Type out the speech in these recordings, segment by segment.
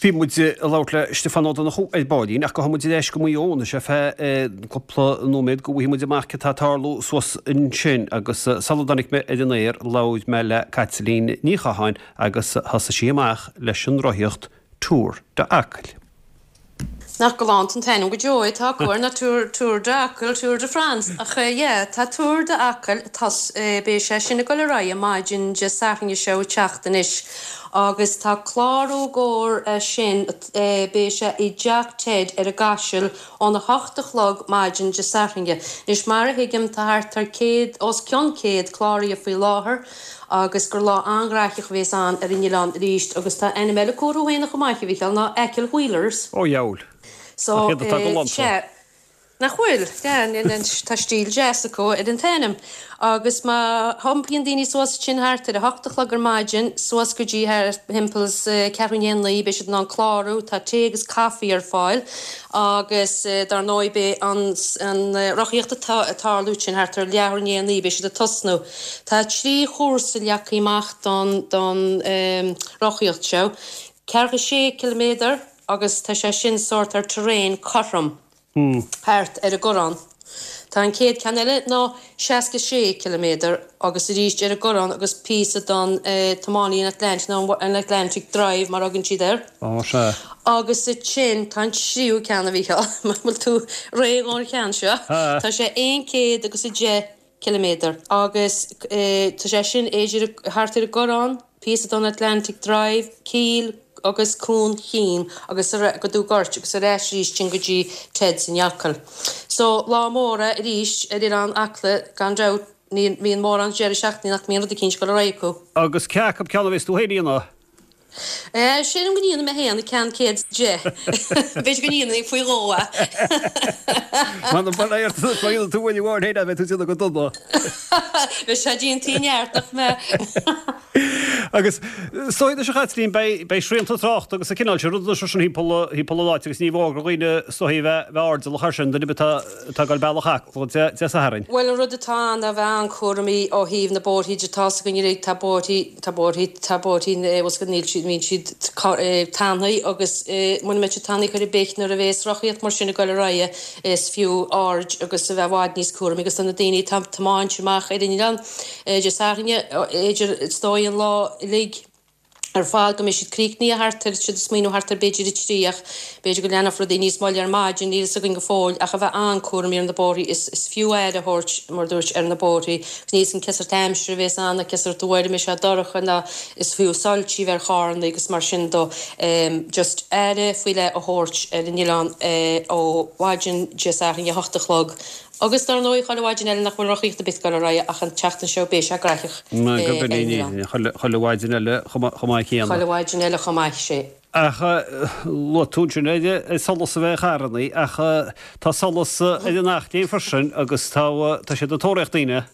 Bhí muid ag labhairt le Stiofán Ó Donnchú ar baillín ach gabhfaidh muid ar ais go Maigh Eo anois ar feadh cúpla nóiméad go bhfaighidh muid amach cad tá ag tarlú suas ansin agus sula dtáinig mé ar an aer labhair mé le Caitlín Ní Chatháin agus thosaigh sí amach leis an rothaíocht Tour d'Acaill. Nach galánta an t-ainm go deo é atá acu air ná Tour, Tour d'Acaill, Tour de France. Ach yeah, tá Tour d'Acaill, tá, beidh sé sin ag dul ar aghaidh maidin Dé Sathairn seo ag teacht anois agus tá clárú i gcomhair é sin, beidh sé i dTeach Ted ar an gCaiseal óna hocht a chlog maidin Dé Sathairn. Anois mar a thuigim tá thart ar 100, os cionn 100 cláraithe faoi láthair. agus gur lá an-ghraitheach a bhéas ann ar an oileán arís agus tá ainm eile acu orthu féin chomh maith, a Mhícheáil, ná Achill Wheelers. Ó dheabhail. So, Nach iad atá galánta. sea. Nach bhfuil? Yeah, tá stíl deas acu ar an t-ainm. Agus má thiompaíonn daoine suas ansin thart ar a hocht a chlog ar maidin, suas go dtí thart thimpeall is ceathrú i ndiaidh a naoi, beidh siad in ann clárú, tá tae agus caife ar fáil agus dar ndóigh beidh an rothaíocht ag tarlú ansin thart ar leathuair i ndiaidh a naoi, beidh siad ag tosnú. Tá 3 chúrsa leagtha amach don don rothaíocht seo, ceathracha sé ciliméadar agus tá sé sin sórt ar terrain cothrom thart ar an gCoireán. Tá an chéad ceann eile ná 66 ciliméadar agus arís ar an gCoireán agus píosa don tiománaí an Atlantic nó an Atlantic Drive mar a thugann siad air. Ó sea. Agus ansin tá an tríú ceann a Mhícheáil, an bhfuil tú réidh don cheann seo? Tá sé 110 ciliméadar agus tá sé sin idir thart ar an gCoireán, píosa don Atlantic Drive, Cill agus Cuan Chinn agus go Dún Goirt agus ar ais arís sin go dtí Ted's in Acaill. So, lá mór é arís ar Oileán Acla gan dabht, ní bhíonn mórán deireadh seachtaine nach mbíonn rud eicínt ag dul ar aghaidh acu. Agus cé acu ceann a bheas tú féin a dhéanamh? Sílim go ndéanfaidh mé féin an ceann 110. B'fhéidir go ndéanfainn faoi dhó é. M'anam bail ort má dhéanann tú uair amháin féin é beidh tú ag déanamh go dona. Bheadh sé déanta i neart nach mbeadh? Agus is dóigh anois a Chaitlín beidh beidh srianta tráchta agus an cineál sin rudaí sin thimpeall thimpeall an áit agus ní mór do dhaoine is dóigh a bheith bheith airdeallach air sin duine ar bith atá atá ag dul bealach Acla Dé Dé Sathairn. Bhuel an rud atá ann ná bheith an-chúramaí ó thaobh na bóithrí de tá's againn uilig tá bóithrí Tá bóithrí, tá bóithrí, bhfuil 's níl siad, bíonn siad tanaí agus muna mbeidh siad tanaí chor ar bith nuair a bhéas rothaíocht mar sin ag dul ar aghaidh is fiú aird agus a bheith i bhfad níos cúramaí agus do na daoine atá ag tiomáint amach ar an oileán Dé Sathairn, b'fhéidir is dóigh an lá uilig ar fad go mbeidh siad críochnaithe thart ar, siad ag smaoineamh thart ar b'fhéidir a trí ach b'fhéidir go leanfadh rudaí níos moille ar maidin, níl fhios againn go fóill ach a bheith an-chúramaí ar na bóithrí is is fiú aire a thabhairt mar a dúirt ar na bóithrí. Níl 'fhios a'm cén sórt aimsire a bhéas ann ná cén sórt uair a mbeidh sé dorcha ná is fiú soilsí a bheith ar charranna agus mar sin do. Just aire faoi leith a thabhairt ar an oileán ó mhaidin Dé Sathairn a hocht a chlog agus dar ndóigh chuile mhaidin eile nach bhfuil rothaíocht ar bith ag dul ar aghaidh ach an tseachtain seo beidh sé graitheach ar an oileán. Chuile mhaidin eile chomh maith céanna. Chuile mhaidin eile chomh maith, sé. Ach luaigh tú ansin ar solas a bheith ar charrannaí ach tá solas ar an Eachléim freisin agus tá tá siad ag tóraíocht daoine.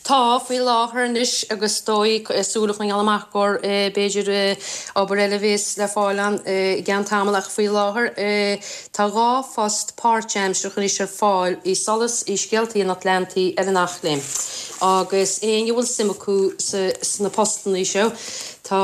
Tá, faoi láthair anois agus is dóigh súil a choinneáil amach gur b'fhéidir obair eile a bhéas le fáil ann i gceann tamaill ach faoi láthair tá 2 phost páirtaimseartha anois ar fáil i Solas i Scéaltaí an Atlantaigh ar an Eachléim agus éinne a bhfuil suim acu sna postannaí seo tá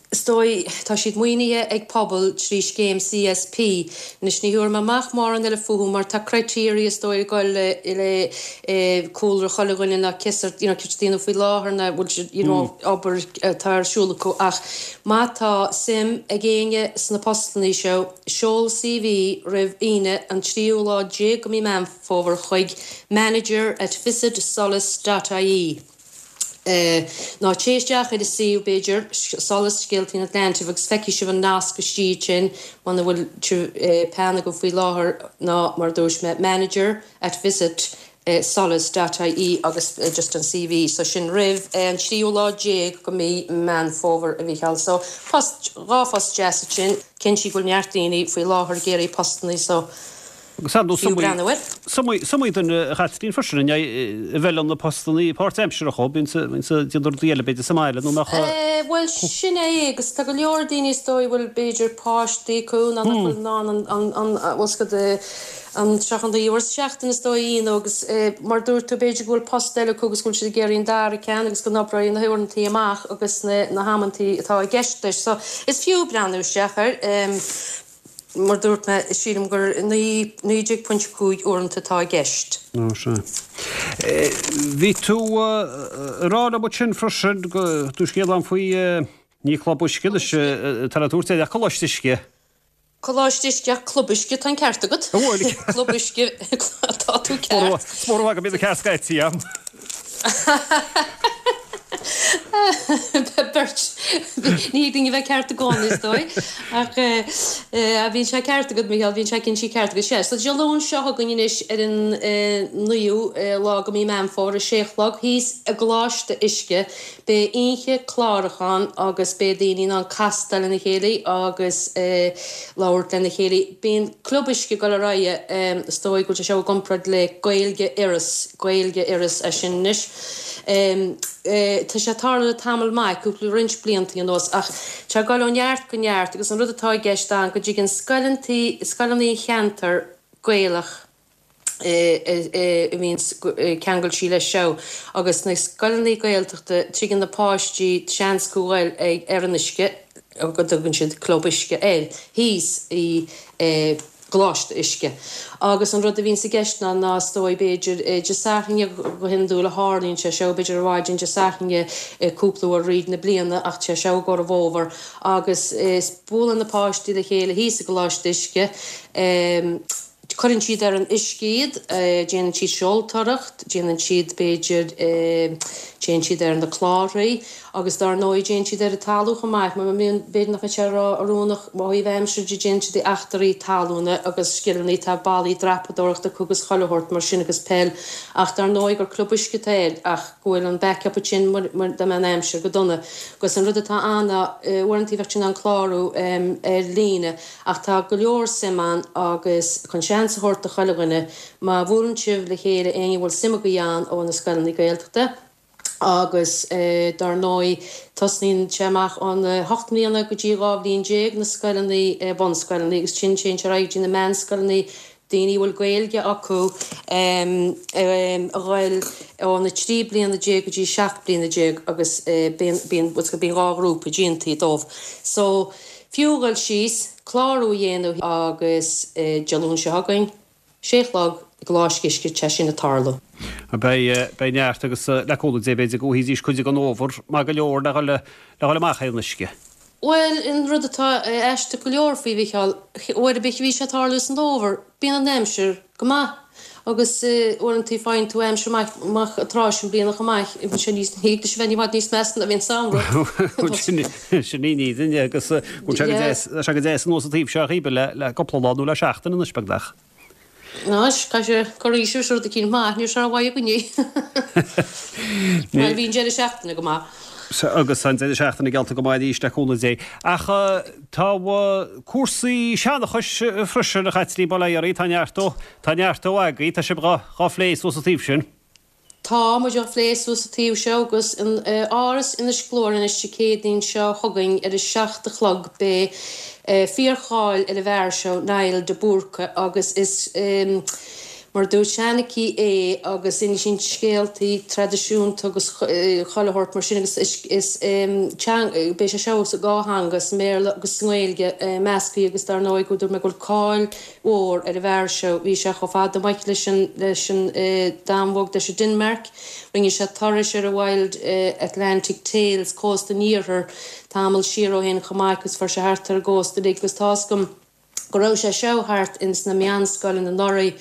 Is dóigh, tá siad maoinithe ag Pobal trí scéim CSP. Anois ní thabharfaidh mé amach mórán eile fúthu mar tá criteria is dóigh ag goil le le cúlra chuile dhuine ná cén sórt you know céard daoine faoi láthair ná bhfuil siad you know obair atá ar siúl acu ach má tá suim ag éinne sna postannaí seo seol CV roimh Aoine an tríú lá déag de mí Meán Fómhair chuig manager at visit solas dot ie. Ná téigh isteach ar an suíomh, b'fhéidir, Solas, Scéaltaí an Atlantaigh agus feicfidh sibh an nasc istigh ansin muna bhfuil peann agaibh faoi láthair ná mar a dúirt mé, manager at visit solas dot ie agus just an CV. So sin roimh an tríú lá déag de mí Meán Fómhair a Mhícheáil. So post, dhá phost deas ansin. Cinnte go bhfuil neart daoine faoi láthair ag iarraidh postannaí so. Agus ar ndóigh, Fiú breathnú air. Is iomaí duine a Chaitlín freisin a bhfeileann na postanna páirtaimseartha dhóibh, bíonn siad ag déanamh rudaí eile b'fhéidir sa mbaile nó nach. Bhuel sin é agus tá go leor daoine is dóigh a bhfuil b'fhéidir páistí acu nó nach bhfuil in ann an, an, bhfuil 's agat, an 39 uair sa seachtain is dóigh a dhéanamh agus mar dúirt tú b'fhéidir go bhfuil post eile acu agus go bhfuil siad ag iarraidh an dara ceann agus go n-oibreoidh na huaireantaí amach agus na, na hamantaí atá i gceist leis. So is fiú breathnú isteach air. Mar dúirt mé, sílim gur 19.5 uaireanta atá i gceist. Ó, sea. Bhí tú ag rá liom ansin freisin go dtabharfá scéal dom faoi, ní Club Uisce anois atá le tabhairt air ach Coláiste Uisce. Coláiste Uisce ach Club Uisce, tá an ceart agat. An bhfuil? Club Uisce, tá tú ceart. Is mór go mbíonn an ceart scaití agam. Beirt. Ní thig linn a bheith ceart i gcónaí, is dóigh. Ach bíonn sé ceart agat, Micheál, bíonn sé cinnte ceart agat. Sea, so Dé Luain seo chugainn anois ar an naoú lá de mhí Meán Fómhair, a sé a chlog, thíos i gColáiste Uisce, beidh oíche clárachán agus beidh daoine in ann castáil lena chéile agus labhairt lena chéile. Bíonn Club Uisce ag dul ar aghaidh, is dóigh go bhfuil sé seo i gcomparáid le Gaeilge Iorras, Gaeilge Iorras é sin anois. Tá sé ag tarlú le tamall maith, cúpla roinnt blianta anuas, ach tá sé ag dul ó neart go neart agus an rud atá i gceist ann go dtigeann scoileanna, scoileanna an cheantair Gaelach a bhíonn ceangailte leis seo agus na scoileanna Gaeltachta, tigeann na páistí seans acu dhul ag ar an uisce, go dtugann siad Club Uisce air, thíos i gColáiste Uisce. Agus an rud a bhíonns i gceist ná, ná is dóigh, b'fhéidir, Dé Sathairn go hiondúil a tharlaíonn sé seo, b'fhéidir ar mhaidin Dé Sathairn cúpla uair thríd na bliana ach tá sé seo i gcomhair an bhfómhair agus is buaileann na páistí le chéile thíos i gColáiste Uisce. Cuireann siad ar an uisce iad, déanann siad seoltóireacht, déanann siad, b'fhéidir, téann siad ar na clárthaí agus dár ndóigh téann siad ar an talamh chomh maith. Má bhíonn, b'fhéidir nach mbeidh sé ró-oiriúnach ó thaobh aimsire de, déanann siad eachtraí talúna agus scileanna, tá ballaí dreapadóireachta acu agus chuile shórt mar sin agus peil ach dár ndóigh gur club uisce atá air ach go bhfuil an backup ansin dá mbeadh an aimsir go dona. Agus an rud atá ann ná uaireanta bheadh tú in ann clárú ar líne Ach tá go leor suim ann agus chun seans a thabhairt do chuile dhuine, má bhuaileann sibh le chéile éinne a bhfuil suim agaibh ann ó na scoileanna Gaeltachta agus dar ndóigh tosnaíonn sé amach óna hocht mbliana go dtí 12 bhliain na scoileanna, bunscoileanna agus ansin téann sé ar aghaidh go dtí na meánscoileanna, daoine a bhfuil Gaeilge acu a ghoil óna 13 bliana go dtí 17 bliana agus bíonn, bíonn, bíonn dhá ghrúpa déanta dóibh. So, fiú dhul síos, clárú a dhéanamh agus Dé Luain seo chugainn, sé a chlog, i gColáiste Uisce, tá sin ag tarlú. Beidh, beidh neart agus le cúnamh Dé b'fhéidir go bhfaighidís cuid den fhómhar maith go leor le dhul, le dhul amach ar an uisce. Bhuel, an rud atá aisteach go leor faoi Mhicheál, uair ar bith a bhí sé ag tarlú san fhómhar, bíonn an aimsir go maith agus uaireanta faigheann tú aimsir maith an tráth sin bliana chomh maith, bíonn sé níos, thig leis a bheith i bhfad níos measa ná a bhíonn samhradh. Sin í an fhírinne agus bhfuil sé go deas, tá sé go deas anuas an taobh seo a Shíbe le cúpla lá nó le seachtain anois beagnach. Anois, caithfidh sé cur aois is rud eicínt maith, níl sé rómhaith againne. Bhuel, bhí an deireadh seachtaine go maith. Agus an deireadh seachtaine geallta go maith arís le cúnamh Dé. Ach tá cúrsaí seanchais freisin, a Chaitlín, bail ó Dhia oraibh, tá neart dó, tá neart dó agaibh, tá sibh dhá phlé suas an taobh sin. Tá muid á phlé suas sa taobh seo agus in Áras Inis Gluaire anois Dé Céadaoin seo chugainn ar a 7 a chlog beidh fíorcháil ar an bhfear seo, Niall de Búrca, agus is mar a dúirt seanchaí é agus insíonn scéaltaí traidisiúnta agus chuile shórt mar sin agus is beidh sé seo sa dhá theanga, sa mBéarla agus sa nGaeilge measctha agus dar ndóigh go dúirt mé go bhfuil cáil mhór ar an bhfear seo. Bhí sé chomh fada amach leis an leis an Danmhairg, leis an Denmark. Rinne sé turais ar an Wild Atlantic Tales, cósta an iarthair, tamall siar ó shin chomh maith agus fuair sé thart ar an gcósta uilig agus tá's agam go raibh sé seo thart ins na meánscoileanna anuraidh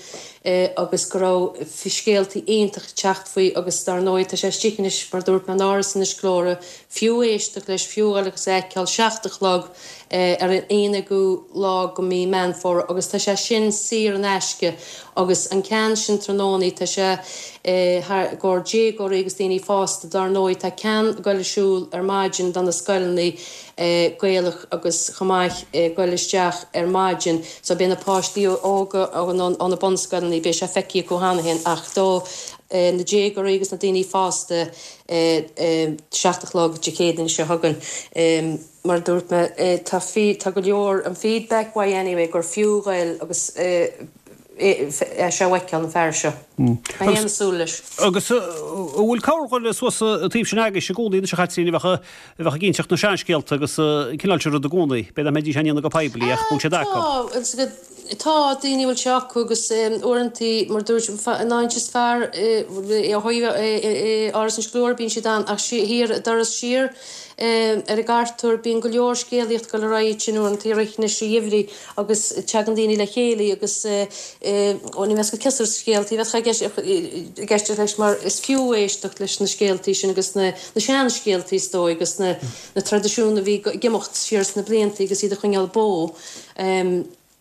agus go raibh scéaltaí iontach ag teacht faoi agus dar ndóigh tá sé istigh anois mar dúirt mé in Áras Inis Gluaire, fiú éisteacht leis, fiú a dhul agus a fheiceáil, 7 a chlog. ar an 11ú lá de mhí Meán Fómhair agus tá sé sin saor in aisce agus an ceann sin tráthnónaí tá sé i gcomhair déagóirí agus daoine fásta. Dár ndóigh tá ceann ag dul ar siúl ar maidin do na scoileanna. Gaelach agus chomh maith goil isteach ar maidin so beidh na páistí óga ó na bunscoileanna, beidh sé feicthe acu cheana féin ach do na déagóirí agus na daoine fásta 7 a chlog Dé Céadaoin seo chugainn. Mar a dúirt mé tá tá go leor an feedback uaidh anyway gur fiú ghoil agus é seo a fheiceáil an fear seo. Mé féin ag súil leis. Agus an bhfuil corrdhuine suas an taobh sin agaibhse i gcónaí anois a Chaitlín a bheadh a bheadh ag inseacht na seanscéalta agus an cineál sin rud i gcónaí. B'fhéidir nach mbeidís á ndéanamh go poiblí ach bhfuil siad acu. Tá, tá daoine a bhfuil sé acu agus uaireantaí mar dúirt an áit is fearr ó thaobh Áras Inse Gluaire bíonn siad ann ach thiar an doras siar ar an gCartúr bíonn go leor scéalaíocht ag dul ar aghaidh ansin uaireantaí i rith anois an gheimhridh. agus teagann daoine le chéile agus ní bheas go cén sórt scéaltaí a bheadh i gceist leis mar is fiú éisteacht leis na scéaltaí sin agus na seanscéaltaí is dóigh agus na traidisiúin a bhí ag imeacht siar sna blianta agus iad a choinneáil beo.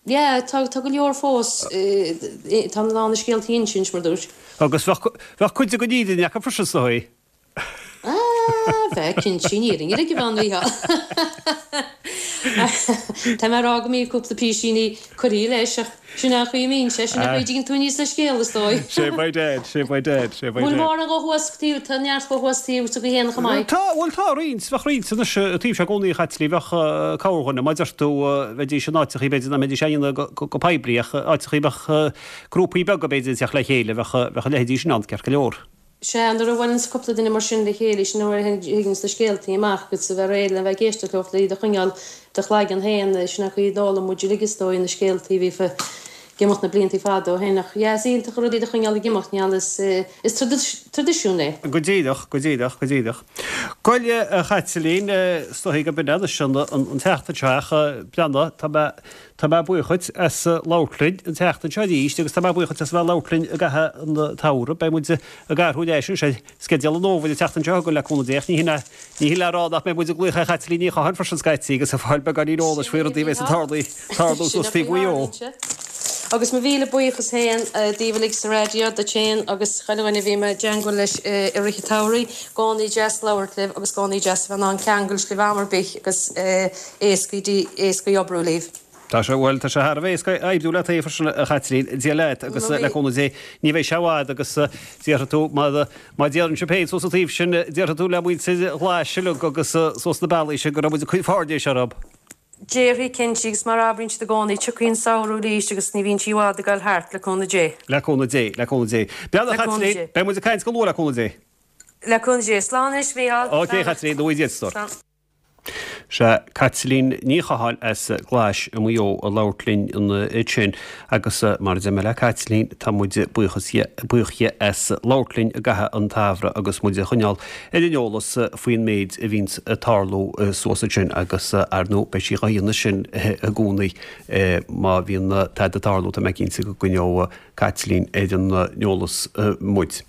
Yeah, tá go leor fós, tá a lán na scéaltaí a insint mar dúirt. Agus bheadh cuid den fhírinne acu freisin is dóigh. Ah, bheadh, cinnte, an fhírinne uilig a bheith ann, Mhícheál. Tá mé ag rá go mbíonn cúpla písíní curtha leis, ach sin é an chaoi a mbíonn sé, sin é an chaoi a dtigeann tú aníos le scéal, is dóigh. Sé by dead, sé by dead, sé by dead. Bhfuil mórán dhó thuas taobh, tá neart dhó thuas taobh s'agaibh féin chomh maith. Tá, bhuel tá roinnt, bheadh roinnt anois an taobh seo i gcónaí a Chaitlín, bheadh corrdhuine, mar a deir tú, bheidís in áiteachaí b'fhéidir nach mbeidís á dhéanamh go poiblí ach áiteachaí bheadh grúpaí beaga b'fhéidir ag teacht le chéile, bheadh a leithéidí sin ann ceart go leor. Sea, nuair a bhaileanns cúpla duine mar sin le chéile, sin nuair a thigeanns na scéaltaí amach agus a bheith réidh le bheith ag éisteacht leo, le iad a choinneáil i do chloigeann féin, sin an chaoi a d'fhoghlaim muid uilig is dóigh na scéaltaí a bhí ag imeacht na bliantaí fada ó shin. Ach yeah, is iontach an rud iad a choinneáil ag imeacht, níl, is, is traidisiún é. Go díreach, go díreach, go díreach. Bhuel, a Chaitlín, is dóigh go b'in é anois an tseachtain seo ach breathnaigh, tá mé, Tá mé buíoch dhuit as labhairt linn an tseachtain seo arís agus tá mé buíoch dhuit as a bheith ag labhairt linn i gcaitheamh an tsamhraidh. Beidh muid ag athrú ar ais anois ar sceideal an fhómhair an tseachtain seo chugainn le cúnamh Dé ach ní hin é, ní hin le rá nach mbeidh muid ag glaoch ar Chaitlín Ní Chatháin freisin scaití agus ag fáil beagáinín eolais faoi rudaí a bheas ag tarlú, tarlú suas taobh Mhaigh Eo. Agus mo mhíle buíochas féin daoibh uilig sa raidió, duit féin agus chuile dhuine a bhí mé i dteangmháil leis i rith an tsamhraidh. Gcónaí deas labhairt libh agus gcónaí deas a bheith in ann ceangal libh am ar bith agus éascaí éascaí oibriú libh. Tá sé, bhuel, tá sé thar a bheith éasca oibriú leat freisin, a Chaitlín, Dia leat agus le cúnamh Dé ní bheidh sé i bhfad agus déarfaidh tú, mar mar a déarfainnse féin suas an taobh sin, déarfaidh tú le muintir Ghlais uilig agus suas na bealaí sin go raibh muid ag cur fáirnéis orthu. Déarfaidh, cinnte, agus mar a abraíonn siad i gcónaí, tiocfaidh an samhradh arís agus ní bhíonn sí i bhfad ag dul thart, le cúnamh Dé. Le cúnamh Dé, le cúnamh Dé. Beannacht Le cúnamh Chaitlín, Dé. beidh muid ag caint go luath le cúnamh Dé. Le cúnamh Dé. Slán anois, Mícheál. Ok, Chaitlín, go dtí a stór. Slán. Sea, Caitlín Ní Chatháin as Glais i Maigh Eo ag labhairt linn ansin agus mar a deir mé le Caitlín, tá muid buíochas buíoch dhi as labhairt linn i gcaitheamh an tsamhraidh agus muid a choinneáil ar an eolas faoin méid a bhíonns ag tarlú suas ansin agus ar ndóigh beidh sí dhá dhéanamh sin i gcónaí má bhíonn tada ag tarlú tá mé cinnte go gcoinneoidh Caitlín ar an eolas muid.